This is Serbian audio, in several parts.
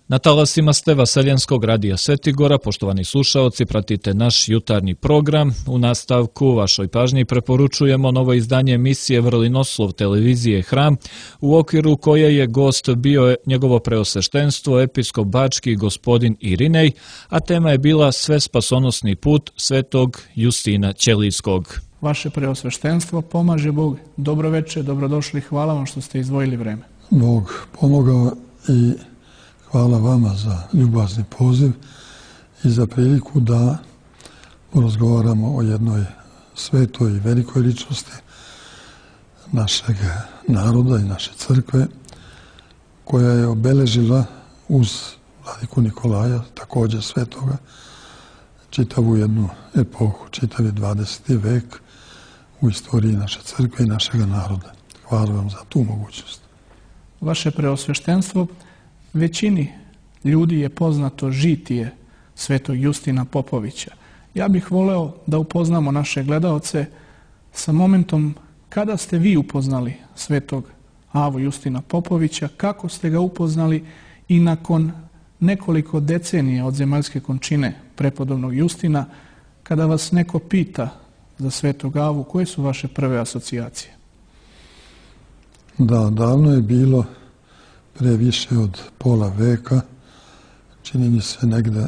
Na talasima ste Vaseljenskog radija Svetigora, poštovani slušaoci, pratite naš jutarnji program. U nastavku vašoj pažnji preporučujemo novo izdanje emisije Vrlinoslov televizije Hram, u okviru koje je gost bio njegovo preosveštenstvo episkop bački gospodin Irinej, a tema je bila Sve spasonosni put svetog Justina Ćelijskog. Vaše preosveštenstvo, pomaže Bog. Dobro večer, dobrodošli, hvala vam što ste izdvojili vreme. Bog pomogao i hvala vama za ljubazni poziv i za priliku da porazgovaramo o jednoj svetoj i velikoj ličnosti našeg naroda i naše crkve, koja je obeležila uz vladiku Nikolaja, također svetoga, čitavu jednu epohu, čitavi 20. vek u istoriji naše crkve i našega naroda. Hvala vam za tu mogućnost. Vaše preosveštenstvo, većini ljudi je poznato žitije svetog Justina Popovića. Ja bih voleo da upoznamo naše gledaoce sa momentom kada ste vi upoznali svetog Avu Justina Popovića, kako ste ga upoznali i nakon nekoliko decenija od zemaljske končine prepodobnog Justina, kada vas neko pita za svetog Avu, koje su vaše prve asocijacije? Da, davno je bilo, pre više od pola veka, čini mi se negde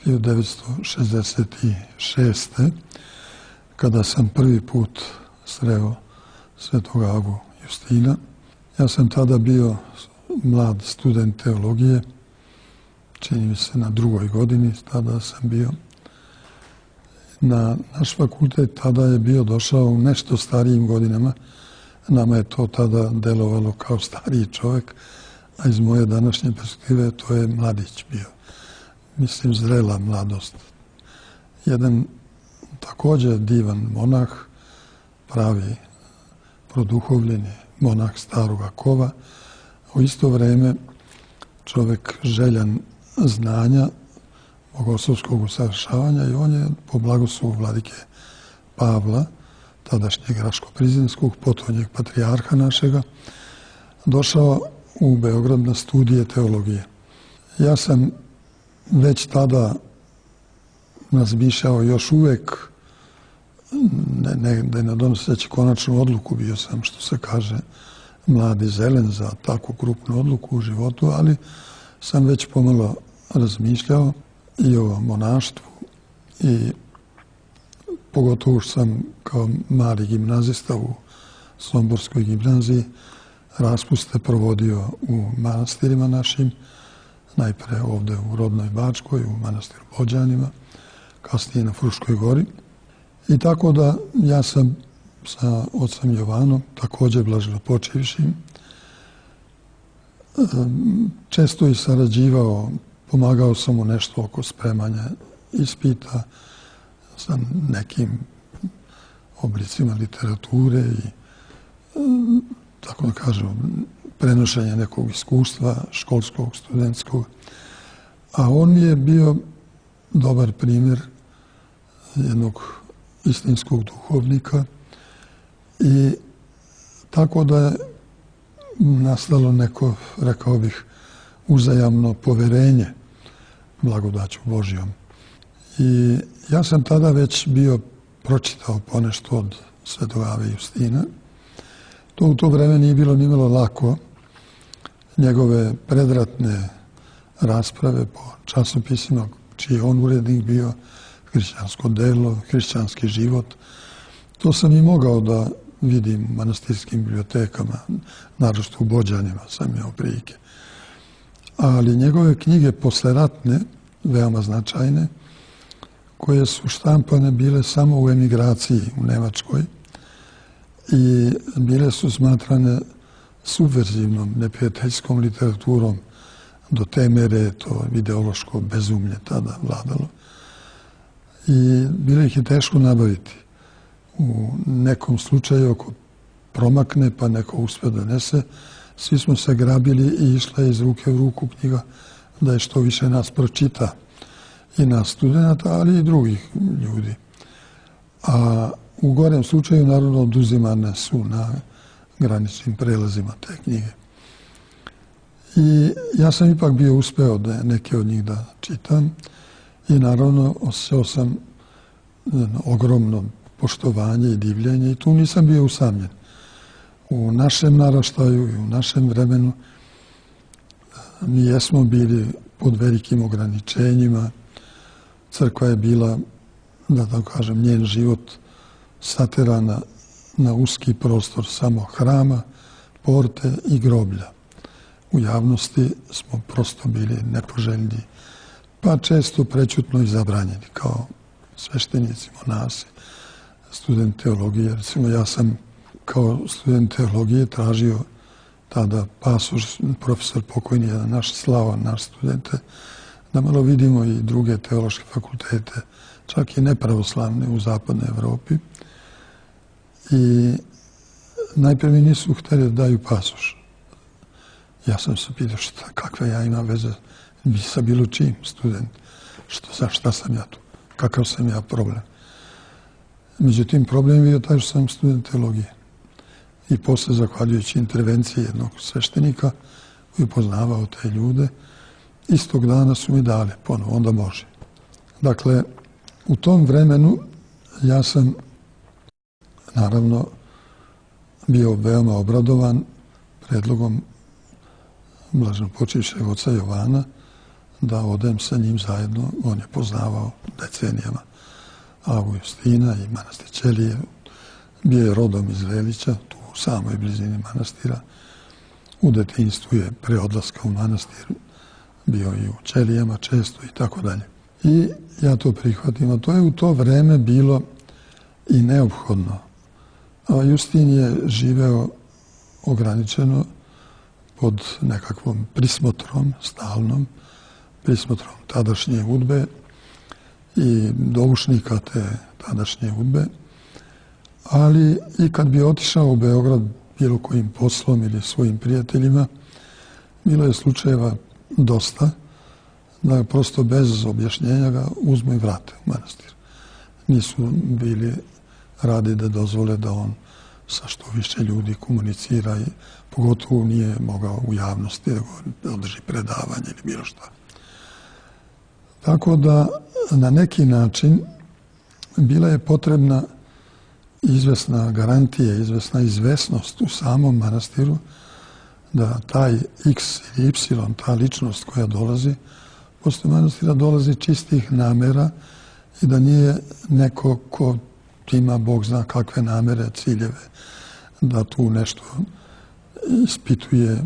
1966. kada sam prvi put sreo svetog Avu Justina. Ja sam tada bio mlad student teologije, čini mi se na 2. godini, tada sam bio. Na naš fakultet tada je bio došao u nešto starijim godinama. Nama je to tada delovalo kao stariji čovjek, a iz moje današnje perspektive to je mladić bio. Mislim, zrela mladost. Jedan također divan monah, pravi produhovljeni monah staroga kova, u isto vrijeme čovjek željan znanja, bogoslovskog usavršavanja, i on je po blagoslovu vladike Pavla, tadašnjeg Raško-Prizinskog, potonjeg patrijarha našega, došao u Beograd na studije teologije. Ja sam već tada razmišljao, još uvek ne donoseći konačnu odluku, bio sam, što se kaže, mladi zelen za takvu krupnu odluku u životu, ali sam već pomalo razmišljao i o monaštvu, i pogotovo što sam kao mali gimnazista u Somborskoj gimnaziji raspuste provodio u manastirima našim, najpre ovdje u rodnoj Bačkoj, u manastiru Bođanima, kasnije na Fruškoj gori. I tako da ja sam sa ocem Jovanom, također blaženopočivšim, često i sarađivao, pomagao sam mu nešto oko spremanja ispita sa nekim oblicima literature i, tako da kažem, prenošenje nekog iskustva školskog, studentskog. A on je bio dobar primjer jednog istinskog duhovnika, i tako da je nastalo neko, rekao bih, uzajamno poverenje blagodaću Božjom. I ja sam tada već bio pročitao ponešto od svetog Ave Justina. To u to vreme nije bilo nimalo lako. Njegove predratne rasprave po časopisima, čiji je on urednik bio, Hrišćansko delo, Hrišćanski život, to sam i mogao da vidim u manastirskim bibliotekama, naročito u Bođanima sam imao prilike. Ali njegove knjige posleratne, veoma značajne, koje su štampane bile samo u emigraciji u Nemačkoj i bile su smatrane subverzivnom, neprijateljskom literaturom, do te mere je to ideološko bezumlje tada vladalo. I bilo ih je teško nabaviti. U nekom slučaju, ako promakne pa neko uspije donese, svi smo se grabili i išla je iz ruke u ruku knjiga da je što više nas pročita, i nas studenta, ali i drugih ljudi. A u gorem slučaju, naravno, oduzimane su na graničnim prelazima te knjige. I ja sam ipak bio uspeo da neke od njih da čitam i naravno osjećao sam ogromno poštovanje i divljenje i tu nisam bio usamljen. U našem naraštaju i u našem vremenu mi jesmo bili pod velikim ograničenjima. Crkva je bila, da tako kažem, njen život saterana na uski prostor samo hrama, porte i groblja. U javnosti smo prosto bili nepoželjni, pa često prećutno i zabranjeni kao sveštenici, monasi, student teologije. Recimo, ja sam kao student teologije tražio tada pasoš, profesor pokojni, jedan naš Slava, naš studente, da malo vidimo i druge teološke fakultete, čak i nepravoslavne u zapadnoj Evropi. I najprije mi nisu htjeli da daju pasoš. Ja sam se pitao kakve ja imam veze sa bilo čim student. Šta sam ja tu? Kakav sam ja problem? Međutim, problem je bio taj što sam student teologije. I posle, zahvaljujući intervenciji jednog sveštenika koji je poznavao te ljude, istog dana su mi dali ponovo, onda može. Dakle, u tom vremenu ja sam naravno bio veoma obradovan predlogom blaženopočivšeg oca Jovana da odem sa njim zajedno. On je poznavao decenijama Avu Justina i manastir Ćelije. Bio je rodom iz Velića, tu u samoj blizini manastira. U detinjstvu je pre odlaska u manastir bio i u Ćelijama često i tako dalje. I ja to prihvatim, a to je u to vreme bilo i neophodno. A Justin je živeo ograničeno pod nekakvom prismotrom, stalnom prismotrom tadašnje udbe i doušnika te tadašnje udbe. Ali i kad bi otišao u Beograd bilo kojim poslom ili svojim prijateljima, bilo je slučajeva dosta da prosto bez objašnjenja ga uzmu i vrate u manastir. Nisu bili radi da dozvole da on sa što više ljudi komunicira i pogotovo nije mogao u javnosti da održi predavanje ili bilo šta. Tako da na neki način bila je potrebna izvesna garantija, izvesna izvesnost u samom manastiru da taj X ili Y, ta ličnost koja dolazi, posle manastira dolazi čistih namera i da nije neko ko ima Bog zna kakve namere, ciljeve, da tu nešto ispituje,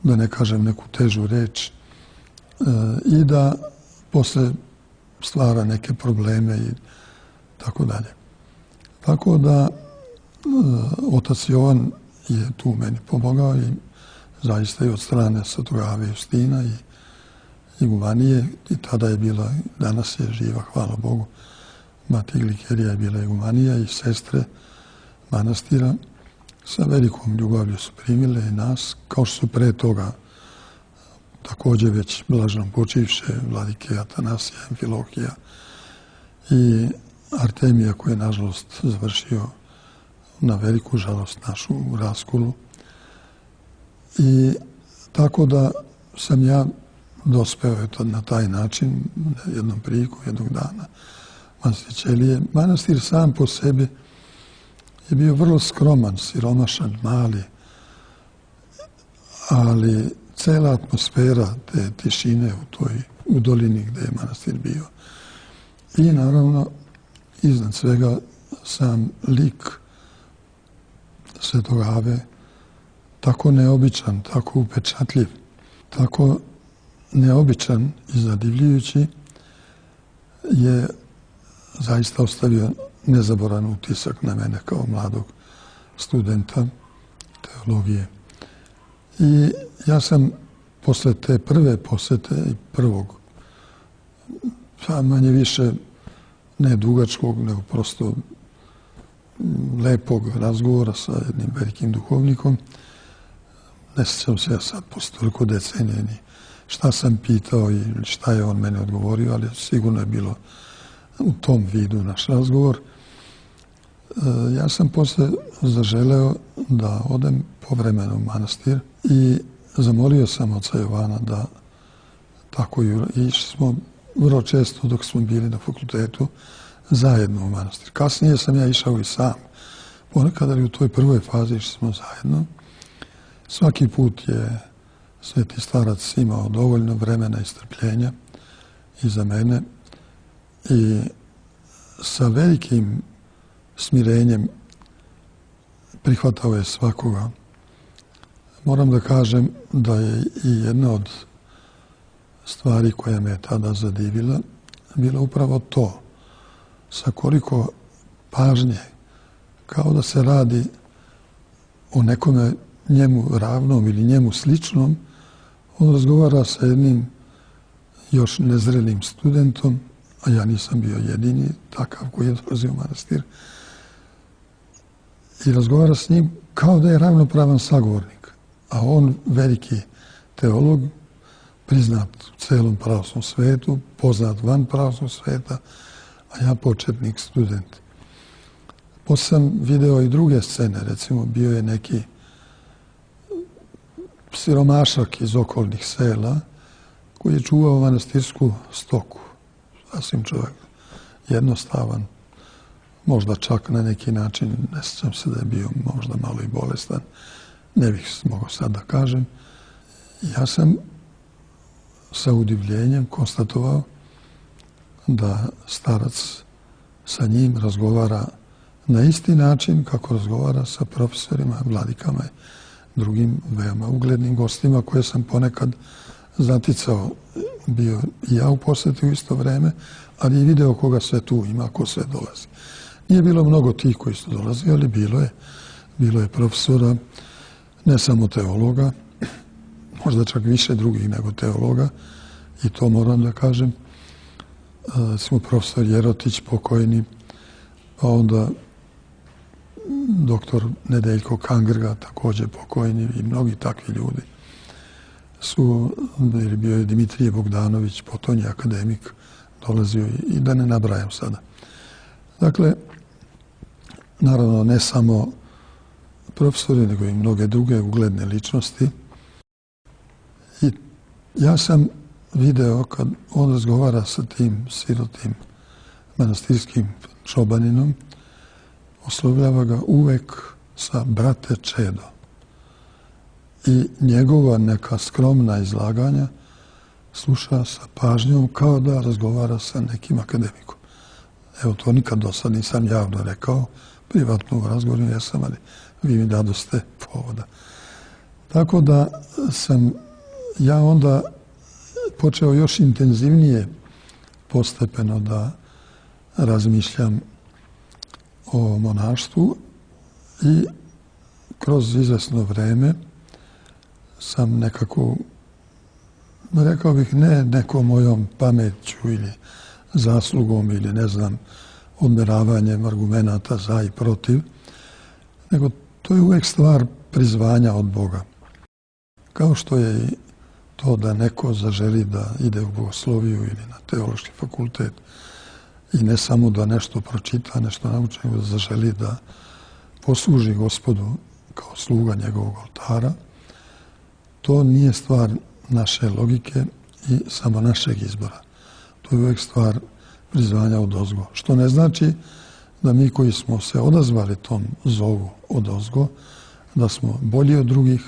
da ne kažem neku težu reč, i da posle stvara neke probleme i tako dalje. Tako da otac Jovan je tu meni pomogao i zaista i od strane Svetog Ave Justina i igumanije, i tada je bila, danas je živa, hvala Bogu, mati Glikerija je bila igumanija i sestre manastira sa velikom ljubavlju su primile i nas, kao što su pre toga također već blaženo počivše vladike Atanasija, Amfilohija i Artemija, koji je nažalost završio na veliku žalost našu u raskolu. I tako da sam ja dospeo na taj način, jednom priliku, jednog dana, manastir Ćelije. Manastir sam po sebi je bio vrlo skroman, siromašan, mali, ali cela atmosfera te tišine u dolini gde je manastir bio. I naravno, iznad svega, sam lik Svetog Ave, tako neobičan, tako upečatljiv, tako neobičan i zadivljujući, je zaista ostavio nezaboran utisak na mene kao mladog studenta teologije. I ja sam posle te prve posete i prvog, manje više ne dugačkog, nego prosto lepog razgovora sa jednim velikim duhovnikom, ne sjećam se ja sad posle toliko decenije ni šta sam pitao i šta je on mene odgovorio, ali sigurno je bilo u tom vidu naš razgovor. Ja sam posle zaželeo da odem povremeno u manastir i zamolio sam oca Jovana da tako i išli smo vrlo često dok smo bili na fakultetu zajedno u manastir. Kasnije sam ja išao i sam. Ponekad, ali u toj prvoj fazi išli smo zajedno. Svaki put je sveti starac imao dovoljno vremena i strpljenja i za mene i sa velikim smirenjem prihvatao je svakoga. Moram da kažem da je i jedna od stvari koja me je tada zadivila bila upravo to, sa koliko pažnje, kao da se radi o nekome njemu ravnom ili njemu sličnom, on razgovara sa jednim još nezrelim studentom, a ja nisam bio jedini takav koji je dolazio u manastir, i razgovara s njim kao da je ravnopravan sagovornik, a on veliki teolog, priznat u celom pravoslavnom svetu, poznat van pravoslavnog sveta, a ja početnik student. Posle sam video i druge scene, recimo bio je neki siromašak iz okolnih sela koji je čuvao manastirsku stoku. Sasvim čovjek jednostavan, možda čak na neki način, ne sjećam se da je bio možda malo i bolestan, ne bih mogao sad da kažem. Ja sam sa udivljenjem konstatovao da starac sa njim razgovara na isti način kako razgovara sa profesorima, vladikama i drugim veoma uglednim gostima koje sam ponekad zaticao. Bio i ja u posjeti u isto vreme, ali i video koga sve tu ima, ko sve dolazi. Nije bilo mnogo tih koji su dolazili, ali bilo je profesora, ne samo teologa, možda čak više drugih nego teologa, i to moram da kažem. Smo profesor Jerotić pokojni, pa onda doktor Nedeljko Kangrga također pokojni i mnogi takvi ljudi su, bio je Dimitrije Bogdanović, potonji akademik, dolazio i da ne nabrajam sada. Dakle, naravno ne samo profesori, nego i mnoge druge ugledne ličnosti. I ja sam video kad on razgovara sa tim sirotim manastirskim čobaninom, oslovljava ga uvek sa brate Čedo. I njegova neka skromna izlaganja sluša sa pažnjom kao da razgovara sa nekim akademikom. Evo, to nikad do sad nisam javno rekao, privatno u razgovoru jesam, ali vi mi dadoste povoda. Tako da sam ja onda počeo još intenzivnije postepeno da razmišljam o monaštvu i kroz izvesno vreme sam nekako, rekao bih, ne nekom mojom pameću ili zaslugom ili ne znam, odmeravanjem argumenata za i protiv, nego to je uvek stvar prizvanja od Boga. Kao što je i to da neko zaželi da ide u bogosloviju ili na teološki fakultet i ne samo da nešto pročita, nešto nauči, nego da zaželi da posluži Gospodu kao sluga njegovog oltara, to nije stvar naše logike i samo našeg izbora. To je uvek stvar prizvanja odozgo. Što ne znači da mi koji smo se odazvali tom zovu odozgo, da smo bolji od drugih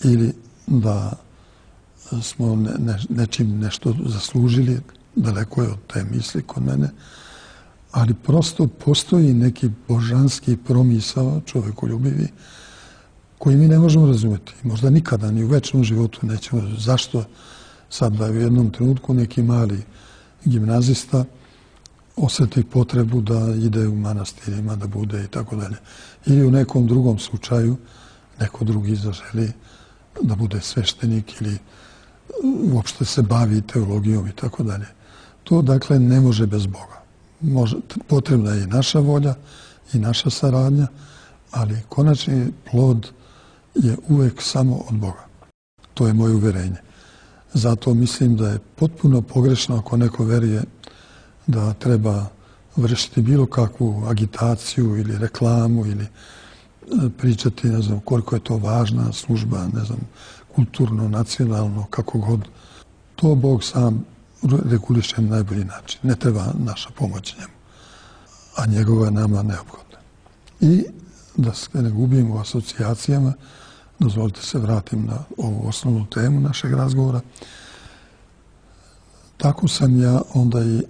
ili da smo nečim nešto zaslužili, daleko je od te misli kod mene, ali prosto postoji neki božanski promisao, čovekoljubivi, koji mi ne možemo razumjeti. Možda nikada, ni u večnom životu nećemo razumjeti. Zašto sad da u jednom trenutku neki mali gimnazista osjeti potrebu da ide u manastirima, da bude i tako dalje. Ili u nekom drugom slučaju neko drugi zaželi da bude sveštenik ili uopšte se bavi teologijom i tako dalje. To, dakle, ne može bez Boga. Potrebna je i naša volja i naša saradnja, ali konačni plod je uvek samo od Boga. To je moje uverenje. Zato mislim da je potpuno pogrešno ako neko veruje da treba vršiti bilo kakvu agitaciju ili reklamu ili pričati, ne znam, koliko je to važna služba, ne znam, kulturno, nacionalno, kako god. To Bog sam reguliše na najbolji način. Ne treba naša pomoć njemu, a njegova je nama neophodna. I da se ne gubim u asocijacijama, dozvolite se vratim na ovu osnovnu temu našeg razgovora. Tako sam ja onda i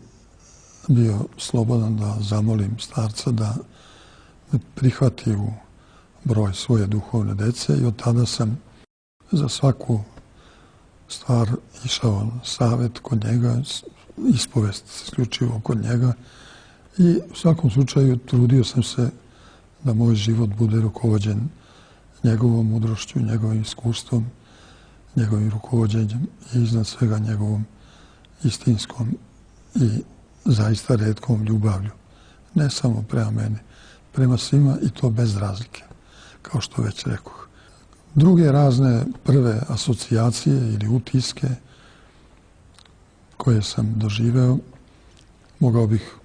bio slobodan da zamolim starca da me prihvati u broj svoje duhovne dece i od tada sam za svaku stvar išao na savjet kod njega, ispovest isključivo kod njega i u svakom slučaju trudio sam se da moj život bude rukovođen njegovom mudrošću, njegovim iskustvom, njegovim rukovođenjem i iznad svega njegovom istinskom i zaista retkom ljubavlju. Ne samo prema meni, prema svima i to bez razlike, kao što već rekoh. Druge razne prve asocijacije ili utiske koje sam doživeo, mogao bih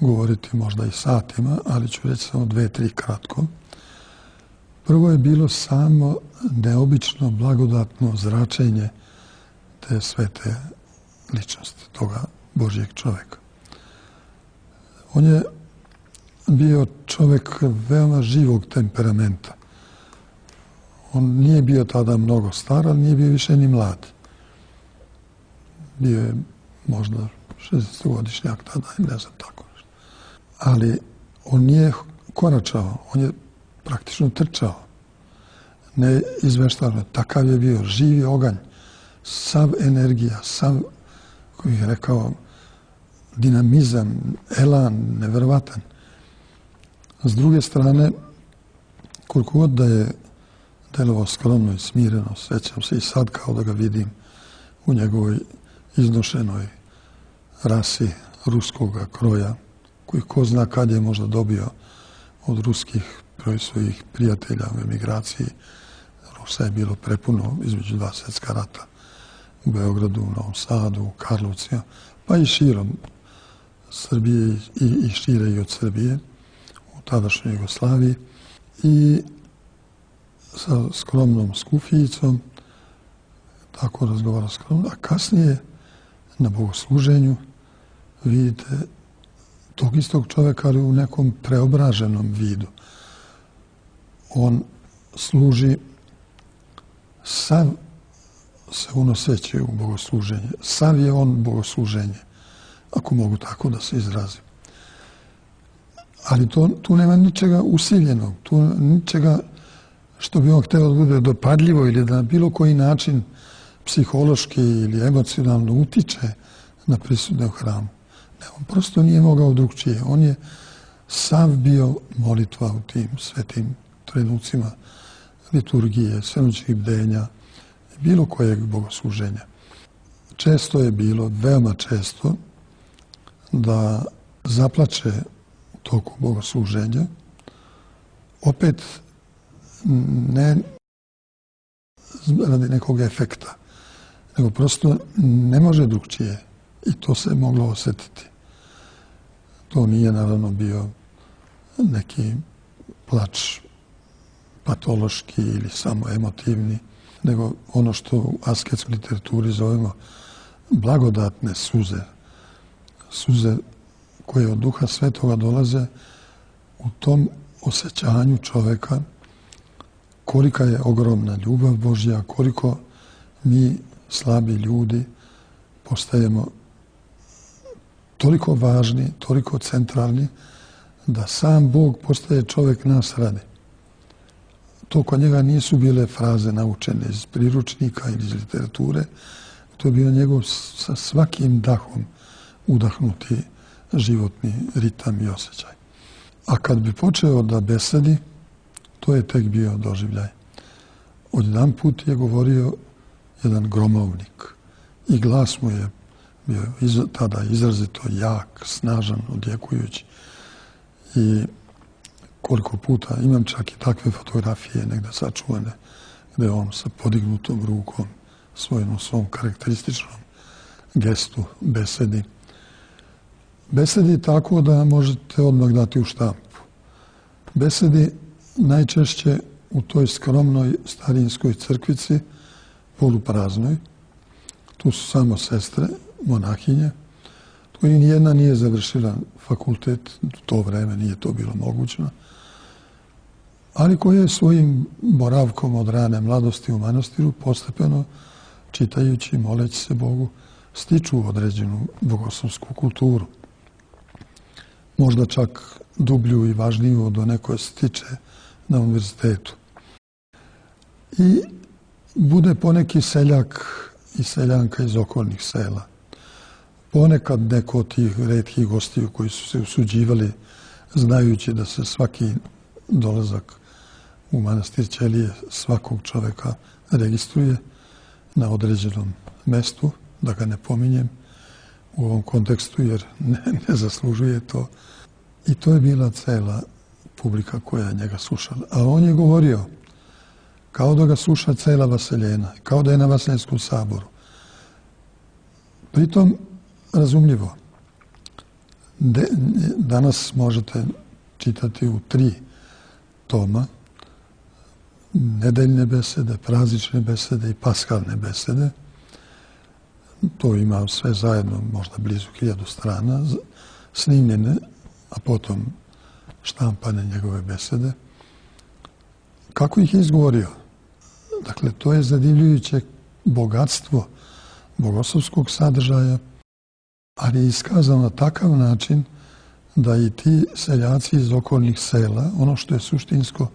govoriti možda i satima, ali ću reći samo 2-3 kratko. Prvo je bilo samo neobično blagodatno zračenje te svete ličnosti, toga Božjeg čoveka. On je bio čovek veoma živog temperamenta. On nije bio tada mnogo star, ali nije bio više ni mlad. Bio je možda 60-godišnjak tada, ne znam tako nešto. Ali on nije koračao, on je praktično trčao. Ne izveštavano, takav je bio živi oganj, sav energija, sav, kako bih rekao, dinamizam, elan, neverovatan. S druge strane, koliko god da je delovao skromno i smireno, sjećam se i sad kao da ga vidim u njegovoj iznošenoj rasi ruskoga kroja, koji ko zna kad je možda dobio od ruskih svojih prijatelja u emigraciji. Rusa je bilo prepuno između 2 svjetska rata u Beogradu, u Novom Sadu, u Karlovcima, pa i širom Srbije i šire i od Srbije, u tadašnjoj Jugoslaviji. I sa skromnom skufijicom, tako razgovara skromno, a kasnije na bogosluženju vidite tog istog čovjeka, ali u nekom preobraženom vidu. On služi, sav se unoseće u bogosluženje, sav je on bogosluženje, ako mogu tako da se izrazim. Ali tu nema ničega usiljenog, tu ničega što bi on hteo da bude dopadljivo ili da na bilo koji način psihološki ili emocionalno utiče na prisutne u hramu. Ne, on prosto nije mogao drugčije. On je sav bio molitva u tim svetim trenucima liturgije, svemoćnih bdenja, bilo kojeg bogosluženja. Često je bilo, veoma često, da zaplače u toku bogosluženja, opet ne radi nekog efekta, nego prosto ne može drugčije i to se moglo osjetiti. To nije naravno bio neki plač patološki ili samo emotivni, nego ono što u asketskoj literaturi zovemo blagodatne suze. Suze koje od Duha Svetoga dolaze u tom osjećanju čoveka kolika je ogromna ljubav Božja, koliko mi slabi ljudi postajemo toliko važni, toliko centralni, da sam Bog postaje čovek nas radi. To kod njega nisu bile fraze naučene iz priručnika ili iz literature, to je bio njegov sa svakim dahom udahnuti životni ritam i osjećaj. A kad bi počeo da besedi, to je tek bio doživljaj. Odjedan put je govorio jedan gromovnik i glas mu je bio tada izrazito jak, snažan, odjekujući. I koliko puta, imam čak i takve fotografije negde sačuvane, gde on sa podignutom rukom, svojom svom karakterističnom gestu besedi. Besedi tako da možete odmah dati u štampu. Besedi najčešće u toj skromnoj starinskoj crkvici polupraznoj. Tu su samo sestre, monahinje, koji nijedna nije završila fakultet, u to vreme nije to bilo mogućno, ali koje svojim boravkom od rane mladosti u manastiru postepeno, čitajući, moleći se Bogu, stiču određenu bogoslovsku kulturu. Možda čak dublju i važniju od one koje stiče na univerzitetu. I bude poneki seljak i seljanka iz okolnih sela. Ponekad neko od tih retkih gostiju koji su se usuđivali, znajući da se svaki dolazak u manastir Ćelije svakog čoveka registruje na određenom mestu, da ga ne pominjem u ovom kontekstu jer ne zaslužuje to. I to je bila cela publika koja je njega slušala. A on je govorio kao da ga sluša cela Vaseljena, kao da je na Vaseljenskom saboru. Pritom, razumljivo, danas možete čitati u 3 toma nedeljne besede, praznične besede i paskalne besede. To ima sve zajedno možda blizu 1000 strana, snimljene, a potom štampane njegove besede. Kako ih je izgovorio? Dakle, to je zadivljujuće bogatstvo bogoslovskog sadržaja, ali je iskazano na takav način da i ti seljaci iz okolnih sela, ono što je suštinsko,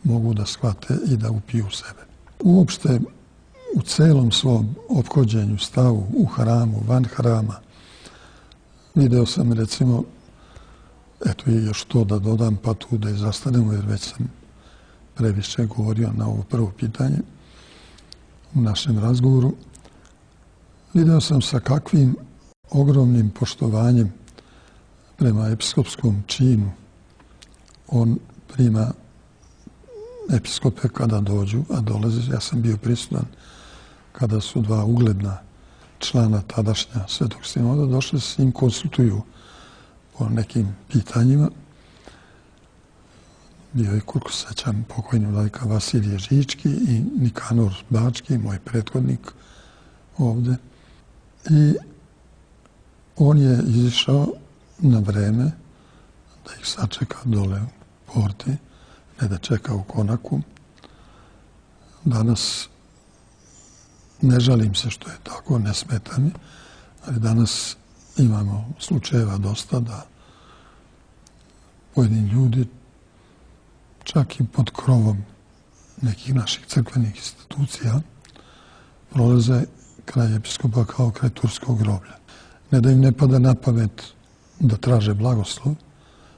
mogu da shvate i da upiju u sebe. Uopšte, u celom svom ophođenju, stavu, u hramu, van hrama, video sam, recimo, eto i još to da dodam, pa tu da i zastanemo, jer već sam previše govorio na ovo prvo pitanje u našem razgovoru. Video sam sa kakvim ogromnim poštovanjem prema episkopskom činu on prima episkope kada dođu, a dolaze. Ja sam bio prisutan kada su 2 ugledna člana tadašnja Svetog sinoda došli s njim, konsultuju po nekim pitanjima. Bio je, koliko se sećam, pokojni vladika Vasilije Žički i Nikanor Bački, moj prethodnik ovde. I on je izišao na vreme da ih sačeka dole u porti, ne da čeka u konaku. Danas ne žalim se što je tako, ne smeta mi, ali danas imamo slučajeva dosta da pojedini ljudi čak i pod krovom nekih naših crkvenih institucija prolaze kraj episkopa kao kraj turskog groblja. Ne da im ne pada na pamet da traže blagoslov,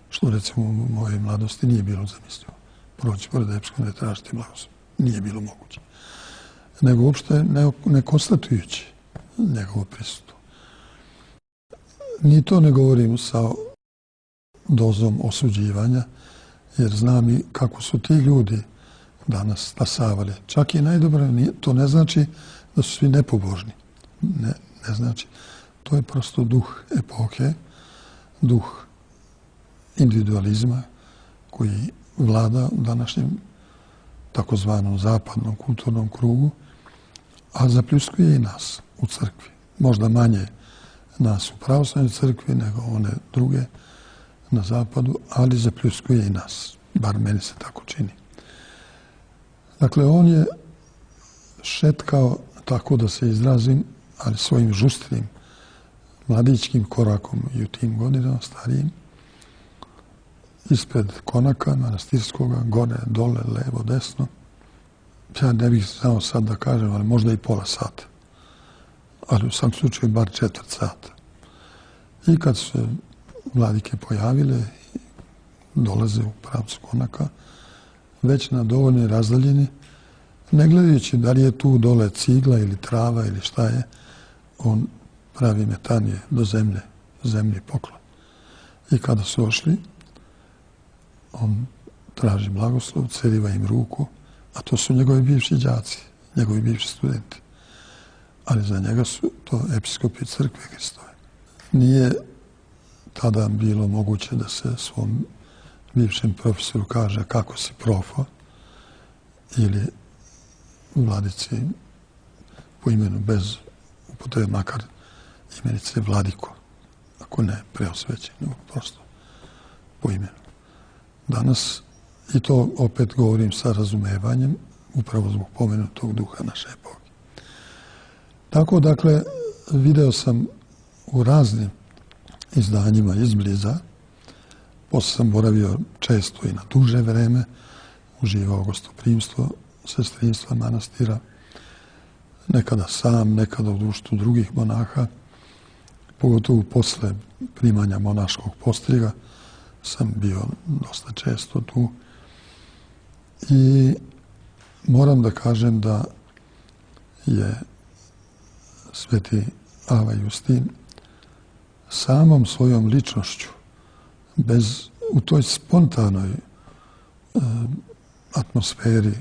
što recimo u mojej mladosti nije bilo zamislivo. Proći pored episkopa da tražiti blagoslov. Nije bilo moguće. Nego uopšte ne konstatujući njegovo prisustvo. Ni to ne govorim sa dozom osuđivanja, jer znam i kako su ti ljudi danas stasavali. Čak i najdobro, to ne znači da su svi nepobožni. Ne znači. To je prosto duh epohe, duh individualizma koji vlada u današnjem takozvanom zapadnom kulturnom krugu, a zapljuskuje i nas u crkvi. Možda manje nas u pravoslavnoj crkvi nego one druge na zapadu, ali zapljuskuje i nas. Bar meni se tako čini. Dakle, on je šetkao, tako da se izrazim, ali svojim žustrim, mladićkim korakom i u tim godinama, starijim, ispred konaka manastirskoga, gore, dole, levo, desno. Ja ne bih znao sad da kažem, ali možda i pola sata. Ali u svakom slučaju bar 1/4 sata. I kad su se vladike pojavile, dolaze u pravcu konaka, već na dovoljnoj razdaljini, ne gledajući da li je tu dole cigla ili trava ili šta je, on pravi metanije do zemlji poklon. I kada su ošli, on traži blagoslov, ceriva im ruku, a to su njegovi bivši đaci, njegovi bivši studenti. Ali za njega su to episkopi crkve Hristove. Nije tada bilo moguće da se svom bivšem profesoru kaže kako si profo, ili vladici po imenu bez upotrebe makar imenice Vladiko, ako ne preosvećen, nego prosto po imenu. Danas, i to opet govorim sa razumevanjem, upravo zbog pomenutog duha naše epohe. Tako, dakle, video sam u raznim izdanjima izbliza, posle sam boravio često i na duže vreme, uživao gostoprimstvo, sestrinstva manastira, nekada sam, nekada u društvu drugih monaha, pogotovo posle primanja monaškog postriga sam bio dosta često tu. I moram da kažem da je sveti Ava Justin samom svojom ličnošću, u toj spontanoj atmosferi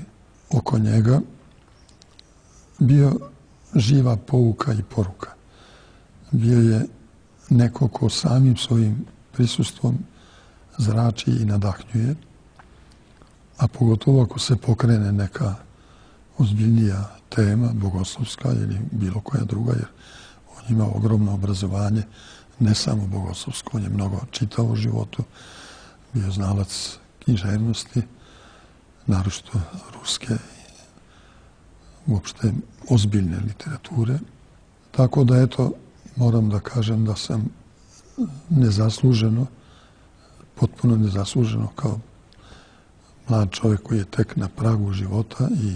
oko njega, bio živa pouka i poruka. Bio je neko ko samim svojim prisustvom zrači i nadahnjuje, a pogotovo ako se pokrene neka ozbiljnija tema, bogoslovska ili bilo koja druga, jer on ima ogromno obrazovanje, ne samo bogoslovsko, on je mnogo čitao u životu, bio znalac književnosti, naročito ruske i uopšte ozbiljne literature. Tako da, eto, moram da kažem da sam nezasluženo, potpuno nezasluženo kao mlad čovjek koji je tek na pragu života i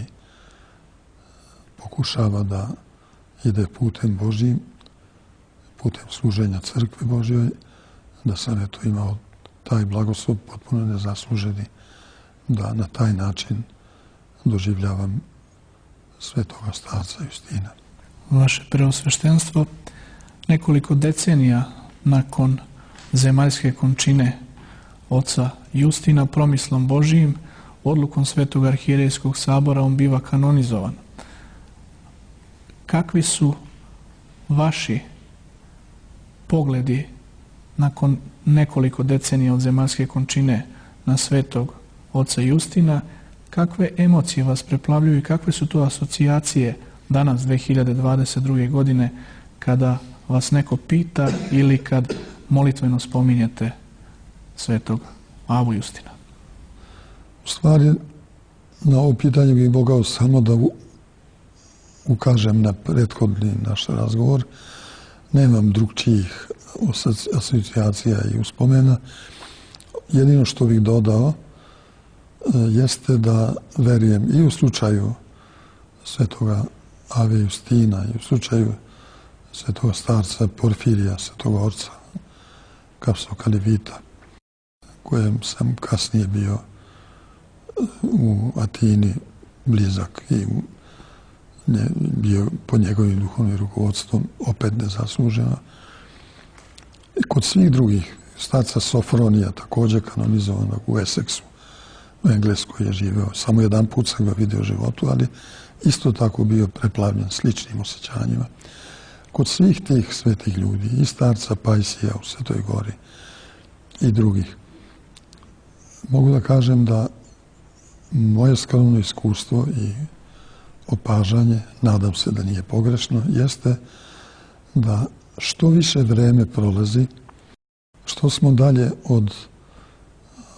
pokušava da ide putem Božjim, putem služenja crkve Božjoj, da sam eto imao taj blagoslov potpuno nezasluženi, da na taj način doživljavam svetoga starca Justina. Vaše preosveštenstvo, nekoliko decenija nakon zemaljske končine oca Justina, promislom Božijim, odlukom Svetog arhijerejskog sabora, on biva kanonizovan. Kakvi su vaši pogledi nakon nekoliko decenija od zemaljske končine na svetog oca Justina? Kakve emocije vas preplavljuju i kakve su to asocijacije danas, 2022. godine, kada vas neko pita ili kad molitveno spominjete svetog Avu Justina? U stvari, na ovo pitanje bih mogao samo da ukažem na prethodni naš razgovor. Nemam drugčijih asocijacija i uspomena. Jedino što bih dodao jeste da verujem i u slučaju svetoga Ave Justina i u slučaju svetoga starca Porfirija, svetoga orca Kapsokalivita, kojem sam kasnije bio u Atini blizak i bio pod njegovim duhovnim rukovodstvom opet nezasluženo. I kod svih drugih, starca Sofronija, također kanonizovanog u Essexu, u Engleskoj je živeo. Samo jedan put sam ga vidio u životu, ali isto tako bio preplavljen sličnim osjećanjima. Kod svih tih svetih ljudi, i starca Pajsija u Svetoj Gori i drugih, mogu da kažem da moje skromno iskustvo i opažanje, nadam se da nije pogrešno, jeste da što više vreme prolazi, što smo dalje od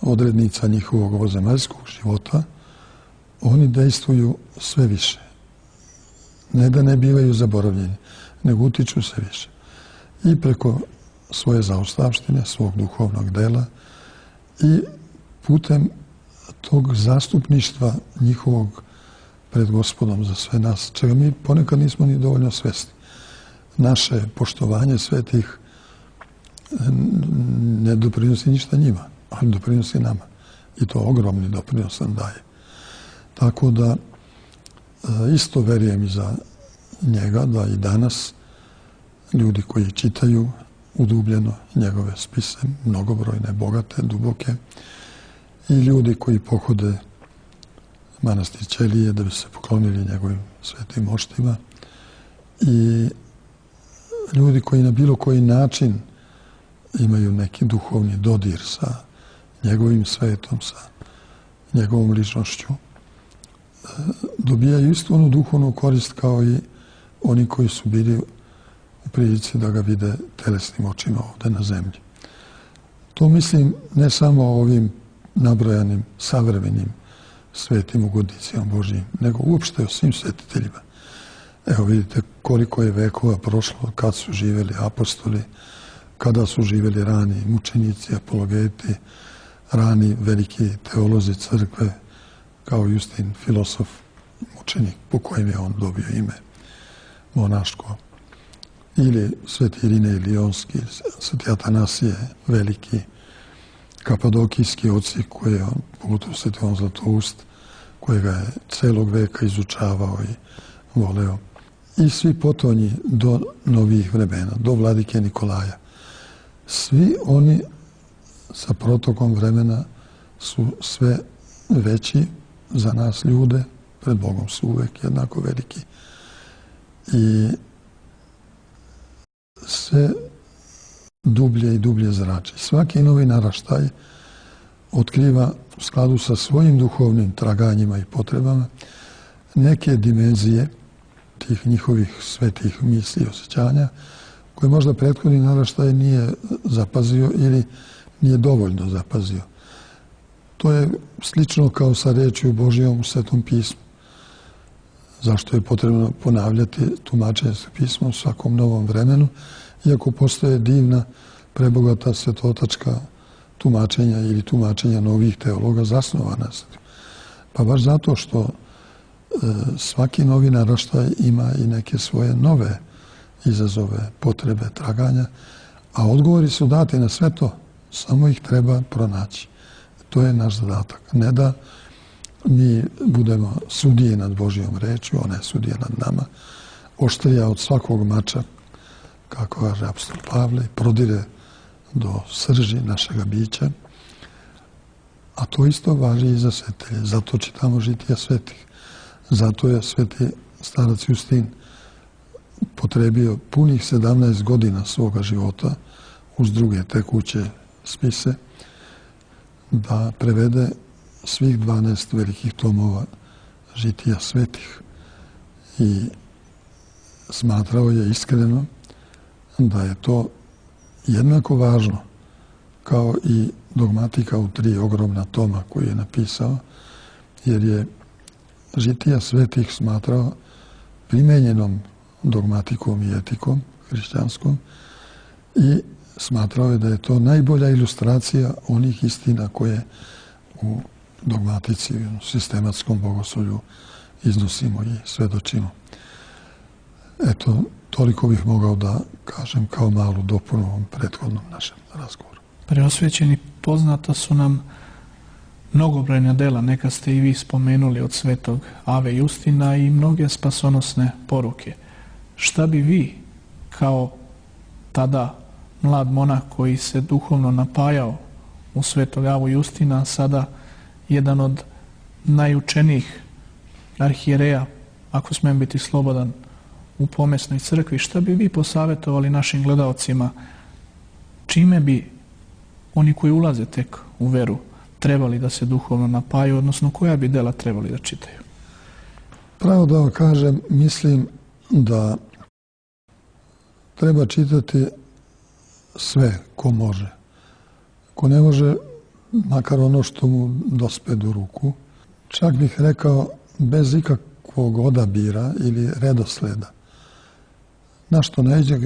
odrednica njihovog ovozemaljskog života, oni dejstvuju sve više. Ne da ne bivaju zaboravljeni, nego utiču sve više. I preko svoje zaostavštine, svog duhovnog dela i putem tog zastupništva njihovog pred Gospodom za sve nas, čega mi ponekad nismo ni dovoljno svesni. Naše poštovanje svetih ne doprinosi ništa njima, ali doprinosi nama. I to ogromni doprinos nam daje. Tako da isto verujem i za njega da i danas ljudi koji čitaju udubljeno njegove spise, mnogobrojne, bogate, duboke, i ljudi koji pohode manastir Ćelije da bi se poklonili njegovim svetim moštima, i ljudi koji na bilo koji način imaju neki duhovni dodir sa njegovim svetom, sa njegovom ličnošću, dobijaju istu onu duhovnu korist kao i oni koji su bili u prilici da ga vide telesnim očima ovdje na zemlji. To mislim ne samo o ovim nabrojanim savremenim svetim ugodnicima Božjim, nego uopšte o svim svetiteljima. Evo vidite koliko je vekova prošlo kad su živjeli apostoli, kada su živjeli rani mučenici, apologeti, rani veliki teolozi crkve, kao Justin, filosof, mučenik, po kojem je on dobio ime monaško. Ili sveti Irinej Lionski, sveti Atanasije veliki, kapadokijski oci koje je on, pogotovo sveti on Zlatoust, kojega je celog veka izučavao i voleo. I svi potonji do novih vremena, do vladike Nikolaja. Svi oni sa protokom vremena su sve veći za nas ljude, pred Bogom su uvek jednako veliki. I sve dublje i dublje zrači. Svaki novi naraštaj otkriva u skladu sa svojim duhovnim traganjima i potrebama neke dimenzije tih njihovih svetih misli i osjećanja koje možda prethodni naraštaj nije zapazio ili nije dovoljno zapazio. To je slično kao sa rečju Božjom u Svetom pismu. Zašto je potrebno ponavljati tumačenje pisma u svakom novom vremenu, iako postoje divna, prebogata svetotačka tumačenja ili tumačenja novih teologa zasnovana. Pa baš zato što svaki novi naraštaj ima i neke svoje nove izazove, potrebe, traganja, a odgovori su dati na sve to, samo ih treba pronaći. To je naš zadatak. Ne da mi budemo sudije nad Božjom rečju, ona je sudija nad nama, oštrija od svakog mača, kako kaže apostol Pavle, prodire do srži našega bića. A to isto važi i za svetitelje. Zato čitamo žitija svetih. Zato je sveti starac Justin potrebio punih 17 godina svoga života uz druge tekuće spise da prevede svih 12 velikih tomova žitija svetih. I smatrao je iskreno da je to jednako važno kao i dogmatika u 3 ogromna toma koji je napisao, jer je žitija svetih smatrao primenjenom dogmatikom i etikom hrišćanskom i smatrao je da je to najbolja ilustracija onih istina koje u dogmatici, u sistematskom bogoslovlju iznosimo i svedočimo. Eto, toliko bih mogao da kažem kao malu dopunu ovom prethodnom našem razgovoru. Preosvećeni, poznata su nam mnogobrojna dela, neka ste i vi spomenuli od svetog Ave Justina i mnoge spasonosne poruke. Šta bi vi, kao tada mlad monah koji se duhovno napajao u svetog Avu Justina, sada jedan od najučenijih arhijereja, ako smijem biti slobodan, u pomesnoj crkvi, šta bi vi posavjetovali našim gledaocima, čime bi oni koji ulaze tek u veru trebali da se duhovno napaju, odnosno koja bi dela trebali da čitaju? Pravo da vam kažem, mislim da treba čitati sve ko može. Ko ne može, makar ono što mu dospe do ruku, čak bih rekao bez ikakvog odabira ili redosleda. Na što naiđe,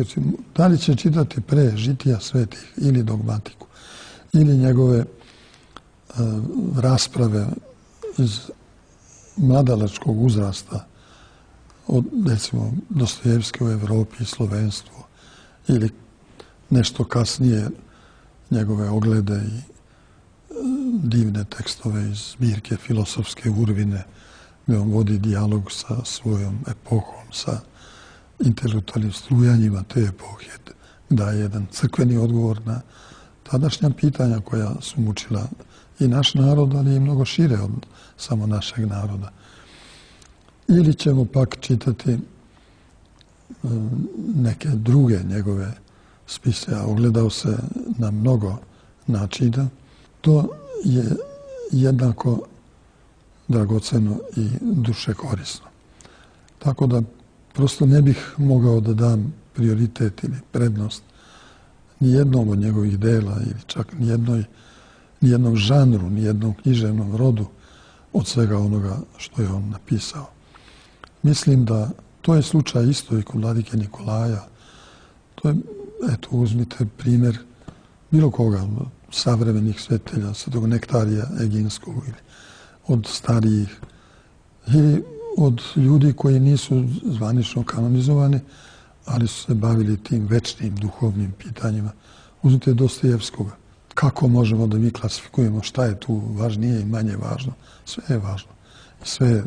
da li će čitati pre žitija svetih ili dogmatiku, ili njegove rasprave iz mladalačkog uzrasta, od, recimo, Dostojevske u Evropi i slovenstvu, ili nešto kasnije njegove oglede i divne tekstove iz zbirke Filosofske urvine, gdje on vodi dijalog sa svojom epohom, sa intelektualnim strujanjima te epohe, daje jedan crkveni odgovor na tadašnja pitanja koja su mučila i naš narod, ali i mnogo šire od samo našeg naroda. Ili ćemo pak čitati neke druge njegove spise, a ogledao se na mnogo načina. To je jednako dragoceno i duše korisno. Tako da prosto ne bih mogao da dam prioritet ili prednost nijednom od njegovih dela ili čak nijednom žanru, nijednom književnom rodu od svega onoga što je on napisao. Mislim da to je slučaj isto i kod vladike Nikolaja. To je, eto, uzmite primjer bilo koga, savremenih svetitelja, svetog Nektarija Eginskog ili od starijih ili od ljudi koji nisu zvanično kanonizovani, ali su se bavili tim večnim duhovnim pitanjima. Uzmite Dostojevskoga. Kako možemo da mi klasifikujemo šta je tu važnije i manje važno? Sve je važno. I sve je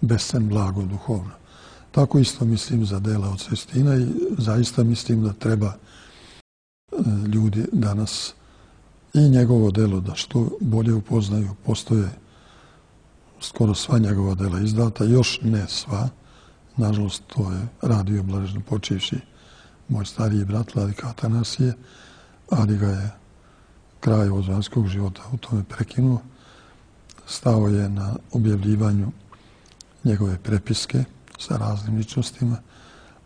bescen blago duhovno. Tako isto mislim za dela od Sestina i zaista mislim da treba ljudi danas i njegovo delo da što bolje upoznaju. Postoje skoro sva njegova dela izdata, još ne sva. Nažalost, to je radio blaženo počivši moj stariji brat vladika Atanasije, ali ga je kraj ozvanskog života u tome prekinuo. Stao je na objavljivanju njegove prepiske sa raznim ličnostima,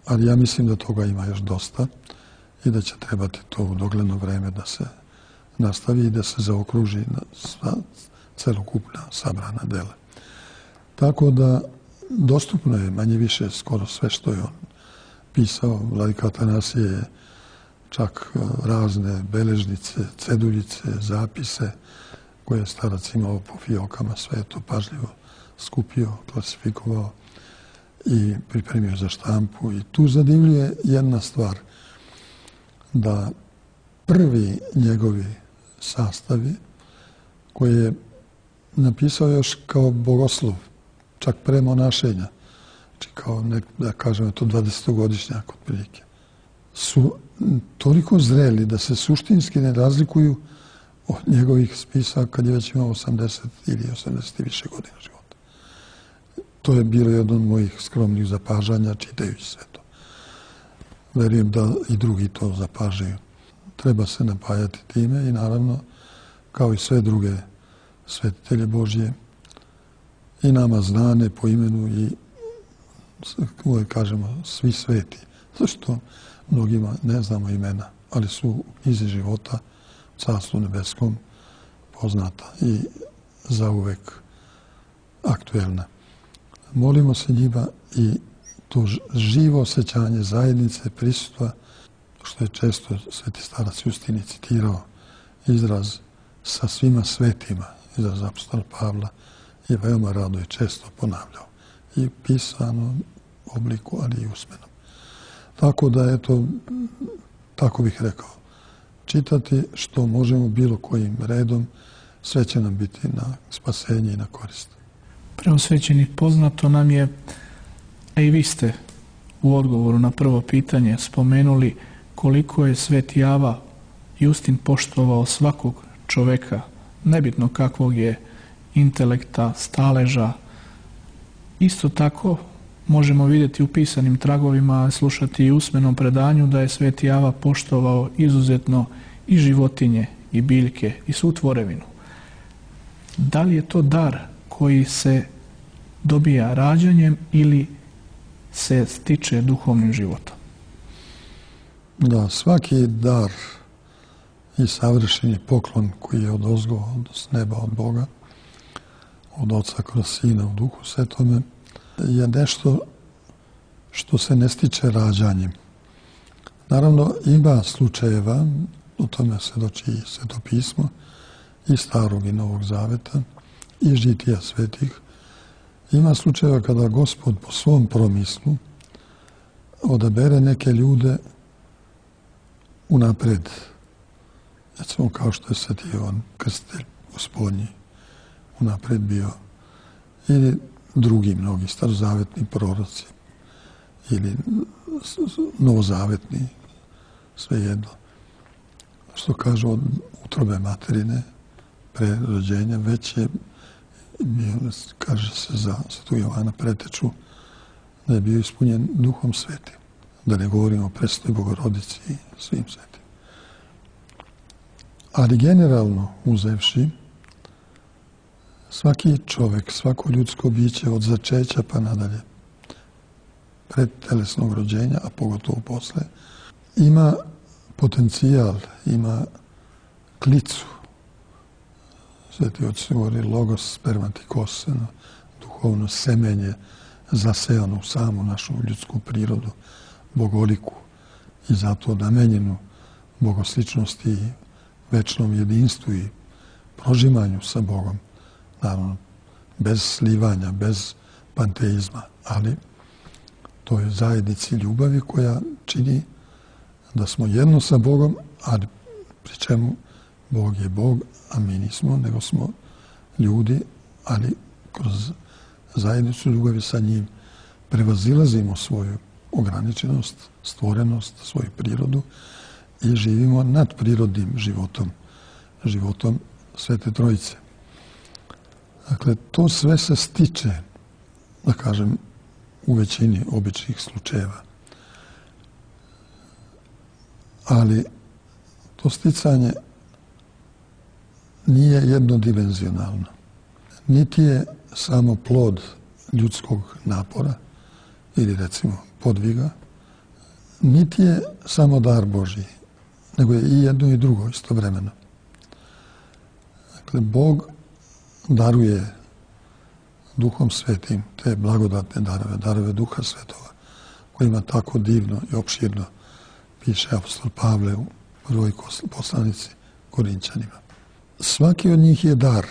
ali ja mislim da toga ima još dosta i da će trebati to u dogledno vreme da se nastavi i da se zaokruži na celokupna sabrana dela. Tako da dostupno je manje više skoro sve što je on pisao. Vladika Atanasije je čak razne beležnice, ceduljice, zapise koje je starac imao po fiokama, sve je to pažljivo skupio, klasifikovao i pripremio za štampu. I tu zadivljuje jedna stvar, da prvi njegovi sastavi koje je napisao još kao bogoslov, čak pre monašenja, znači kao da kažemo to 20-godišnjak otprilike, su toliko zreli da se suštinski ne razlikuju od njegovih spisa kad je već imao 80 ili 80 i više godina života. To je bilo jedno od mojih skromnih zapažanja čitajući sve to. Verujem da i drugi to zapažaju. Treba se napajati time i naravno, kao i sve druge svetitelje Božje, i nama znane po imenu i uvijek kažemo svi sveti, zašto mnogima ne znamo imena, ali su u knjizi života, u Carstvu nebeskom, poznata i zauvek aktuelna. Molimo se njima i to živo osjećanje zajednice, prisustva, što je često sveti starac Justini citirao, izraz sa svima svetima, izraz apostola Pavla, je veoma rado i često ponavljao. I pisanom obliku, ali i usmenom. Tako da, eto, tako bih rekao, čitati što možemo bilo kojim redom, sve će nam biti na spasenje i na korist. Preosvećeni, poznato nam je, a i vi ste u odgovoru na prvo pitanje spomenuli koliko je Sveti Java Justin poštovao svakog čoveka, nebitno kakvog je intelekta, staleža. Isto tako možemo vidjeti u pisanim tragovima, slušati i usmenom predanju da je Sveti Java poštovao izuzetno i životinje, i biljke, i svu tvorevinu. Da li je to dar koji se dobija rađanjem ili se stiče duhovnim životom? Da, svaki dar i savršeni poklon koji je odozgo, s neba, od Boga, od Oca kroz Sina u Duhu Svetome, je nešto što se ne stiče rađanjem. Naravno, ima slučajeva, o tome svedoči i Sveto pismo, i Starog i Novog Zaveta, i žitija svetih. Ima slučajeva kada Gospod po svom promislu odabere neke ljude unapred. Recimo kao što je Sveti Jovan Krstitelj Gospodnji unapred bio, ili drugi mnogi starozavetni proroci, ili novozavetni, svejedno. Što kažu od utrobe materine, pre rođenja, već je bio, kaže se za Svetog Jovana Preteču, da je bio ispunjen Duhom Svetim. Da ne govorimo o Presvetoj Bogorodici i svim svetim. Ali generalno uzevši, svaki čovek, svako ljudsko biće od začeća pa nadalje pred telesnog rođenja, a pogotovo posle, ima potencijal, ima klicu. Sveti oci govori logos spermatikos, duhovno semenje zasejano u samu našu ljudsku prirodu, bogoliku i zato namenjenu bogosličnosti i večnom jedinstvu i prožimanju sa Bogom. Naravno, bez slivanja, bez panteizma, ali to je zajednici ljubavi koja čini da smo jedno sa Bogom, ali pri čemu Bog je Bog, a mi nismo, nego smo ljudi, ali kroz zajednicu ljubavi sa njim prevazilazimo svoju ograničenost, stvorenost, svoju prirodu i živimo nadprirodnim životom, životom Svete Trojice. Dakle, to sve se stiče, da kažem, u većini običnih slučajeva. Ali to sticanje nije jednodimenzionalno. Niti je samo plod ljudskog napora ili recimo podviga, niti je samo dar Božji, nego je i jedno i drugo istovremeno. Dakle, Bog daruje Duhom Svetim te blagodatne darove, darove Duha Svetova, kojima tako divno i opširno piše apostol Pavle u prvoj poslanici Korinćanima. Svaki od njih je dar.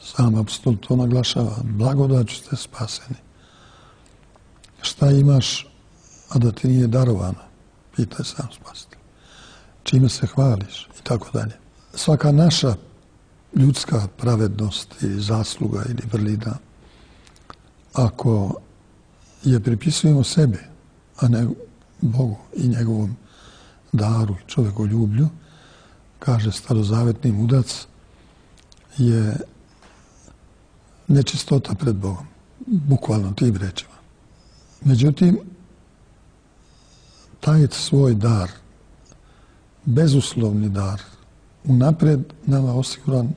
Sam apostol to naglašava. Blagodaću ste spaseni. Šta imaš, a da ti nije darovano? Pitaj sam spasitelj. Čime se hvališ? I tako dalje. Svaka naša ljudska pravednost ili zasluga ili vrlina, ako je pripisujemo sebi, a ne Bogu i njegovom daru i čovekoljublju, kaže starozavetni mudac, je nečistota pred Bogom. Bukvalno tim rečima. Međutim, taj svoj dar, bezuslovni dar, unapred nama osiguran,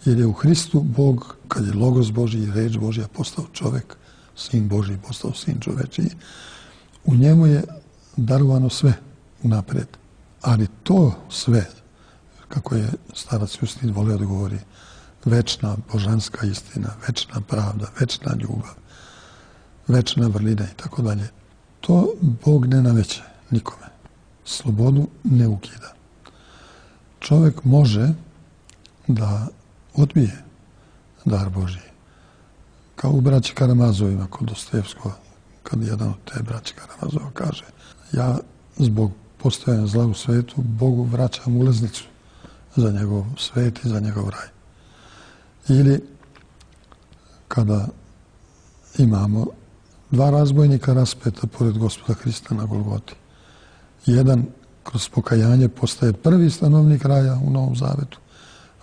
jer je u Hristu Bog, kad je Logos Božji i reč Božja postao čovek, sin Božji postao sin čovečiji, u njemu je darovano sve unapred. Ali to sve, kako je starac Justin voleo da govori, večna božanska istina, večna pravda, večna ljubav, večna vrlina i tako dalje, to Bog ne nameće nikome. Slobodu ne ukida. Čovjek može da odbije dar Božji. Kao u braći Karamazovima kod Dostojevskog, kad jedan od te braći Karamazova kaže: ja zbog postojanja zla u svetu Bogu vraćam ulaznicu za njegov svet i za njegov raj. Ili kada imamo dva razbojnika raspeta pored Gospoda Hrista na Golgoti. Jedan kroz pokajanje postaje prvi stanovnik raja u Novom Zavetu,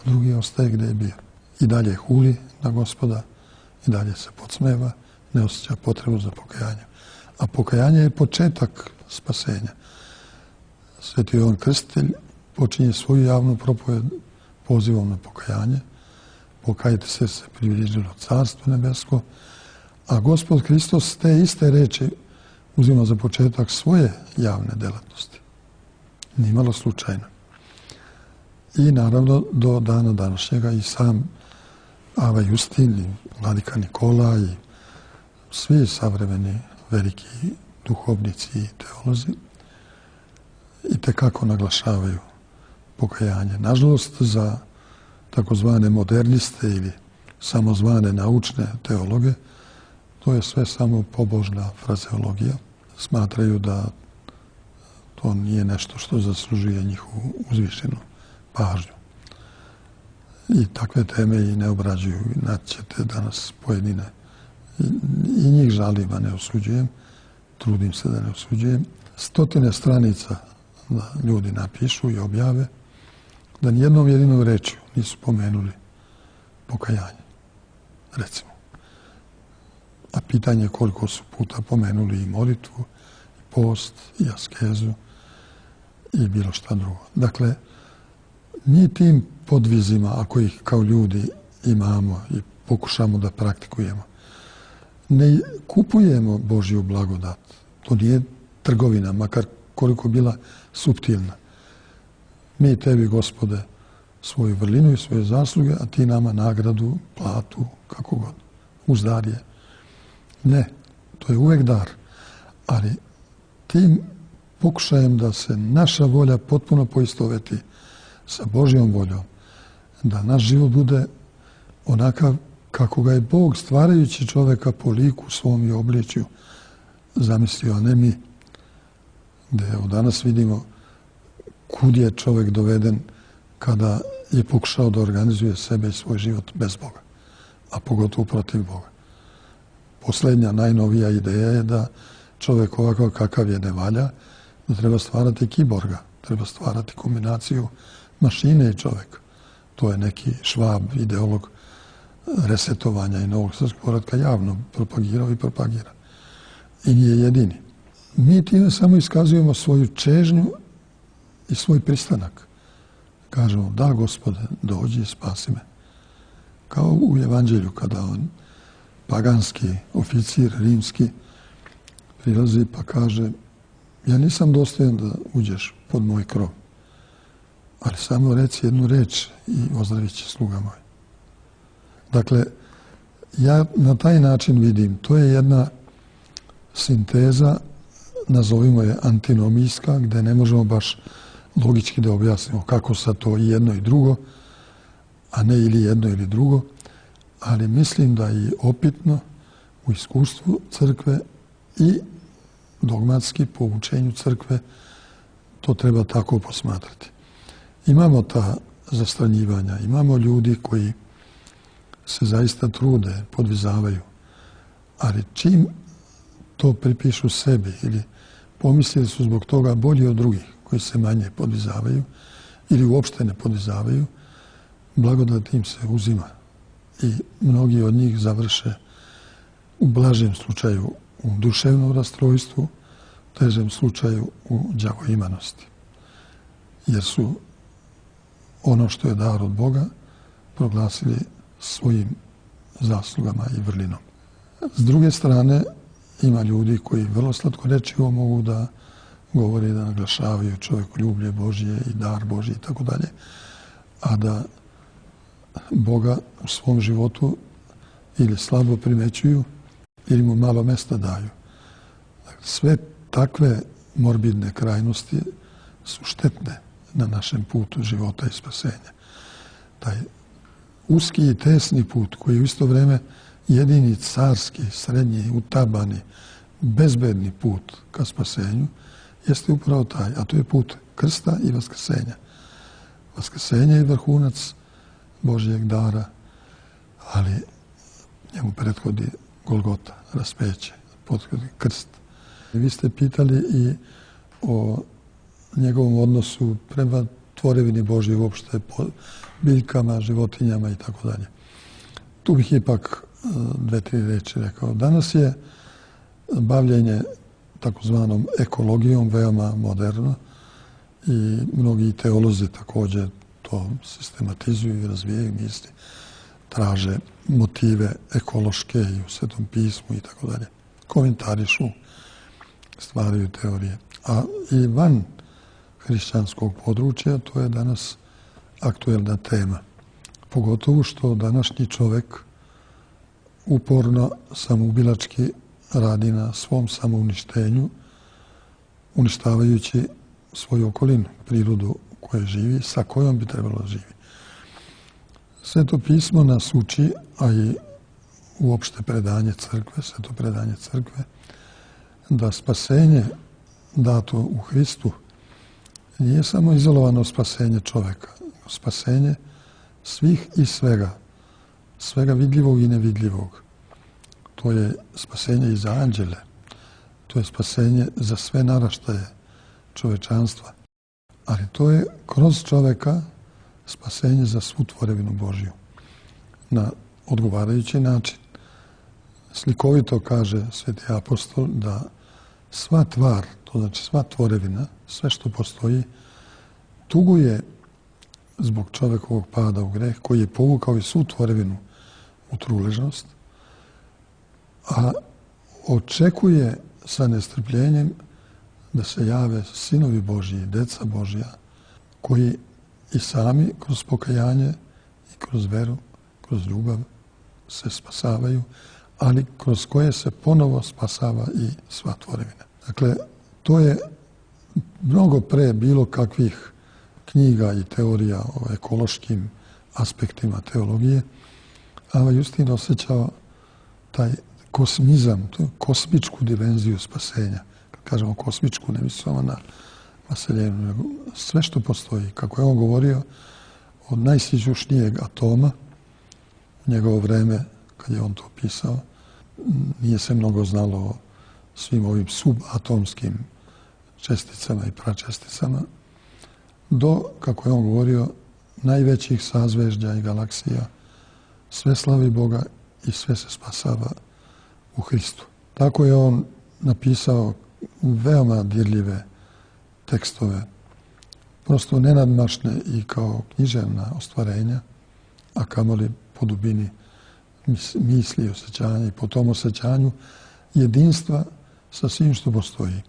a drugi ostaje gdje je bio. I dalje huli na Gospoda, i dalje se podsmeva, ne osjeća potrebu za pokajanje. A pokajanje je početak spasenja. Sveti Jovan Krstitelj počinje svoju javnu propoved pozivom na pokajanje. Pokajte se približilo Carstvo nebesko, a Gospod Hristos te iste reči uzima za početak svoje javne delatnosti. Nimalo slučajno. I naravno do dana današnjega i sam Ava Justin, i Vladika Nikola i svi savremeni veliki duhovnici i teolozi i tekako naglašavaju pokajanje. Nažalost, za takozvane moderniste ili samozvane naučne teologe, to je sve samo pobožna frazeologija. Smatraju da to nije nešto što zaslužuje njihovu uzvišenu pažnju. I takve teme i ne obrađuju. Naćete danas pojedine. I njih žalim, a ne osuđujem. Trudim se da ne osuđujem. 100 stranica da ljudi napišu i objave da nijednom jedinom rečju nisu pomenuli pokajanje. Recimo. A pitanje je koliko su puta pomenuli i molitvu, i post, i askezu, i bilo šta drugo. Dakle, mi tim podvizima, ako ih kao ljudi imamo i pokušamo da praktikujemo, ne kupujemo Božju blagodat. To nije trgovina, makar koliko bila suptilna. Mi tebi, Gospode, svoju vrlinu i svoje zasluge, a ti nama nagradu, platu, kako god. Uz dar je. Ne, to je uvek dar. Ali tim pokušajem da se naša volja potpuno poistoveti sa Božjom voljom, da naš život bude onakav kako ga je Bog, stvarajući čoveka po liku svom i obličju, zamislio, a ne mi. Gde evo danas vidimo kud je čovek doveden kada je pokušao da organizuje sebe i svoj život bez Boga, a pogotovo protiv Boga. Poslednja, najnovija ideja je da čovek ovakav kakav je ne valja, da treba stvarati kiborga, treba stvarati kombinaciju mašine i čoveka. To je neki Švab, ideolog resetovanja i novog srpskog poretka, javno propagirao i propagira. I nije jedini. Mi time samo iskazujemo svoju čežnju i svoj pristanak. Kažemo, da, Gospode, dođi i spasi me. Kao u Evanđelju, kada on, paganski oficir rimski, prilazi pa kaže, ja nisam dostojan da uđeš pod moj krov, ali samo reci jednu reč i ozdravit će sluga moj. Dakle, ja na taj način vidim, to je jedna sinteza, nazovimo je antinomijska, gde ne možemo baš logički da objasnimo kako sa to i jedno i drugo, a ne ili jedno ili drugo, ali mislim da je opitno u iskustvu crkve i dogmatski po učenju crkve to treba tako posmatrati. Imamo ta zastranjivanja, imamo ljudi koji se zaista trude, podvizavaju, ali čim to pripišu sebi ili pomislili su zbog toga bolji od drugih koji se manje podvizavaju ili uopšte ne podvizavaju, blagodat im se uzima i mnogi od njih završe u blažem slučaju u duševnom rastrojstvu, u težem slučaju u đavoimanosti. Jer su ono što je dar od Boga proglasili svojim zaslugama i vrlinom. S druge strane, ima ljudi koji vrlo slatkorečivo mogu da govore, da naglašavaju čovekoljublje Božje i dar Božji i tako dalje, a da Boga u svom životu ili slabo primećuju ili mu malo mesta daju. Sve takve morbidne krajnosti su štetne na našem putu života i spasenja. Taj uski i tesni put koji je u isto vreme jedini carski, srednji, utabani, bezbedni put ka spasenju, jeste upravo taj, a to je put krsta i vaskrsenja. Vaskrsenje je vrhunac Božjeg dara, ali njemu prethodi Golgota, raspeće, prethodi krst. Vi ste pitali i o njegovom odnosu prema tvorevini Božje uopšte, po biljkama, životinjama i tako dalje. Tu bih ipak 2-3 reči rekao. Danas je bavljenje takozvanom ekologijom veoma moderno i mnogi teolozi također to sistematizuju i razvijaju misli, traže motive ekološke i u Svetom pismu i tako dalje. Komentarišu, stvaraju teorije. A i van hrišćanskog područja to je danas aktuelna tema. Pogotovo što današnji čovek uporno samoubilački radi na svom samouništenju, uništavajući svoju okolinu, prirodu u kojoj živi, sa kojom bi trebalo da živi. Sveto pismo nas uči, a i uopšte predanje crkve, sveto predanje crkve, da spasenje dato u Hristu nije samo izolovano spasenje čoveka, spasenje svih i svega, svega vidljivog i nevidljivog. To je spasenje i za anđele, to je spasenje za sve naraštaje čovečanstva, ali to je kroz čoveka spasenje za svu tvorevinu Božju na odgovarajući način. Slikovito kaže Sveti apostol da sva tvar, to znači sva tvorevina, sve što postoji, tuguje zbog čovekovog pada u greh koji je povukao i svu tvorevinu u truležnost, a očekuje sa nestrpljenjem da se jave sinovi Božji, deca Božja, koji i sami kroz pokajanje i kroz veru, kroz ljubav se spasavaju, ali kroz koje se ponovo spasava i sva tvorevina. Dakle, to je mnogo pre bilo kakvih knjiga i teorija o ekološkim aspektima teologije, a Justin osjećao taj kosmizam, kosmičku dimenziju spasenja. Kad kažemo kosmičku, ne mislimo na vaseljenu, nego sve što postoji. Kako je on govorio, od najsićušnijeg atoma, u njegovo vreme, kad je on to pisao, nije se mnogo znalo o svim ovim subatomskim česticama i pračesticama, do, kako je on govorio, najvećih sazvežđa i galaksija, sve slavi Boga i sve se spasava u Hristu. Tako je on napisao veoma dirljive tekstove, prosto nenadmašne i kao književna ostvarenja, a kamoli po dubini misli i osjećanja i po tom osjećanju jedinstva sa svim što postoji.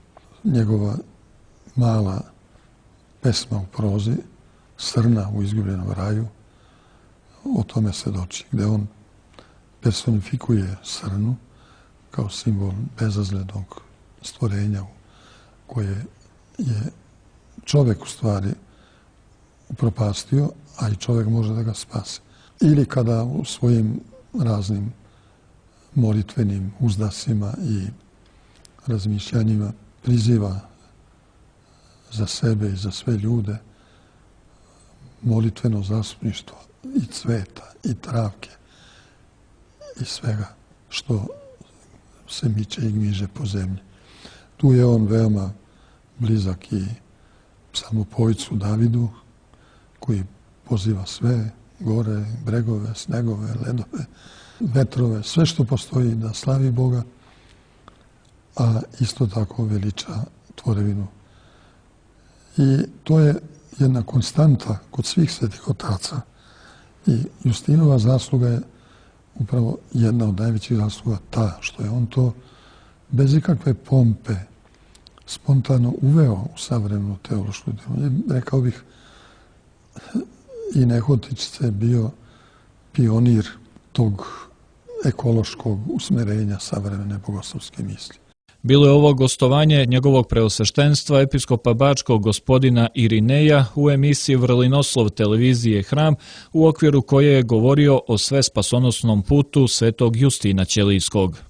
Njegova mala pesma u prozi, Srna u izgubljenom raju, o tome svedoči, gde on personifikuje srnu kao simbol bezazlednog stvorenja koje je čovek u stvari upropastio, a i čovek može da ga spase. Ili kada u svojim raznim molitvenim uzdasima i razmišljanjima priziva za sebe i za sve ljude molitveno zastupništvo i cveta i travke i svega što se miče i gmiže po zemlji. Tu je on veoma blizak i psalmopojcu Davidu, koji poziva sve gore, bregove, snegove, ledove, vetrove, sve što postoji da slavi Boga, a isto tako veliča tvorevinu. I to je jedna konstanta kod svih svetih otaca. I Justinova zasluga je upravo jedna od najvećih zasluga ta što je on to bez ikakve pompe spontano uveo u savremenu teološku ideju. Rekao bih, i nehotice bio pionir tog ekološkog usmerenja savremene bogoslovske misli. Bilo je ovo gostovanje njegovog preosveštenstva episkopa Bačkog gospodina Irineja u emisiji Vrlinoslov televizije Hram, u okviru koje je govorio o sve spasonosnom putu svetog Justina Ćelijskog.